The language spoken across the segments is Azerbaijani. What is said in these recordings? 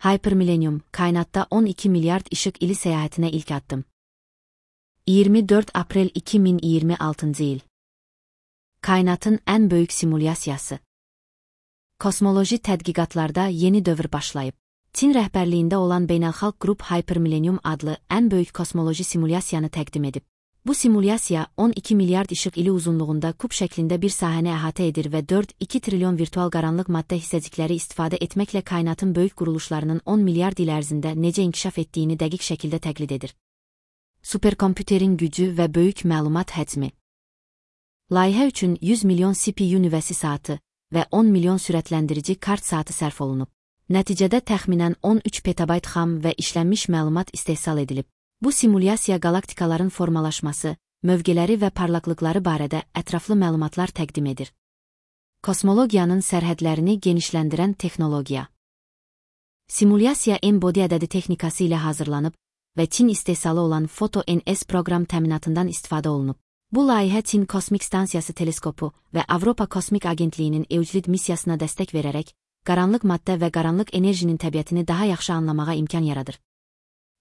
Hypermillennium, kainatda 12 milyard ışık ili seyahatine ilk addım. 24 Aprel 2026 yıl. Kainatın en büyük simülasyası. Kosmoloji tədqiqatlarda yeni dövr başlayıb. Çin rəhbərliyində olan beynəlxalq qrup Hypermillennium adlı en büyük kosmoloji simülasyanı təqdim edib. Bu simülasya 12 milyard ışık ili uzunluğunda küp şeklinde bir sahəni əhatə edir ve 4-2 trilyon virtual qaranlıq maddə hissəcikləri istifadə etməklə kainatın böyük quruluşlarının 10 milyard il ərzində necə inkişaf etdiyini dəqiq şəkildə təqlid edir. Superkomputerin gücü və böyük məlumat həcmi. Layihə üçün 100 milyon CPU nüvəsi saatı və 10 milyon sürətləndirici kart saatı sərf olunub. Nəticədə təxminən 13 petabayt xam və işlənmiş məlumat istehsal edilib. Bu simülasya galaktikaların formalaşması, mövqeləri və parlaqlıqları barədə ətraflı məlumatlar təqdim edir. Kosmologiyanın sərhədlərini genişləndirən texnologiya. Simülasya M-body ədədi texnikası ilə hazırlanıb və Çin istehsalı olan Photo-NS proqram təminatından istifadə olunub. Bu layihə Çin Kosmik Stansiyası teleskopu və Avropa Kosmik Agentliyinin Euclid missiyasına dəstək verərək, qaranlıq maddə və qaranlıq enerjinin təbiətini daha yaxşı anlamağa imkan yaradır.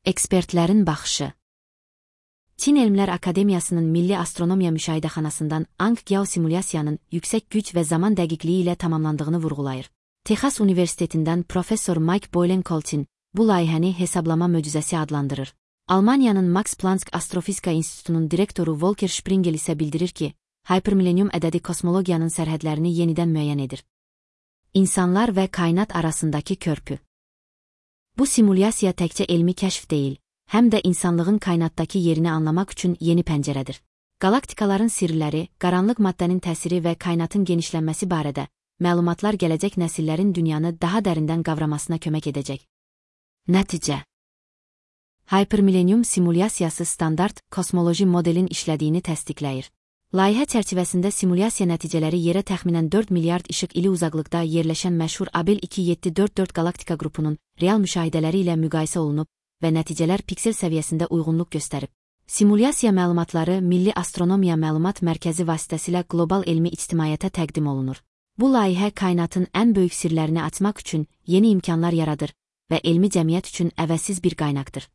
Ekspertlərin baxışı. Çin Elmlər Akademiyasının Milli Astronomiya Müşahidəxanasından Ang geosimülasyanın yüksək güc və zaman dəqiqliyi ilə tamamlandığını vurğulayır. Texas Universitetindən professor Mike Boylan-Coltin bu layihəni hesablama möcüzəsi adlandırır. Almaniyanın Max Planck Astrofizika İnstitutunun direktoru Volker Springel isə bildirir ki, Hypermillennium ədədi kosmologiyanın sərhədlərini yenidən müəyyən edir. İnsanlar və kainat arasındakı körpü. Bu simülasya təkcə elmi kəşf deyil, həm də insanlığın kainatdakı yerini anlamaq üçün yeni pəncərədir. Galaktikaların sirləri, qaranlıq maddənin təsiri və kainatın genişlənməsi barədə məlumatlar gələcək nəsillərin dünyanı daha dərindən qavramasına kömək edəcək. Nəticə. Hypermillennium simülasyası standart kosmoloji modelin işlədiyini təsdiqləyir. Layihə çərçivəsində simülasya nəticələri yerə təxminən 4 milyard işıq ili uzaqlıqda yerləşən məşhur Abell 2744 galaktika qrupunun real müşahidələri ilə müqayisə olunub və nəticələr piksel səviyyəsində uyğunluq göstərib. Simülasya məlumatları Milli Astronomiya Məlumat Mərkəzi vasitəsilə qlobal elmi ictimaiyyətə təqdim olunur. Bu layihə kainatın ən böyük sirlərini açmaq üçün yeni imkanlar yaradır və elmi cəmiyyət üçün əvəzsiz bir qaynaqdır.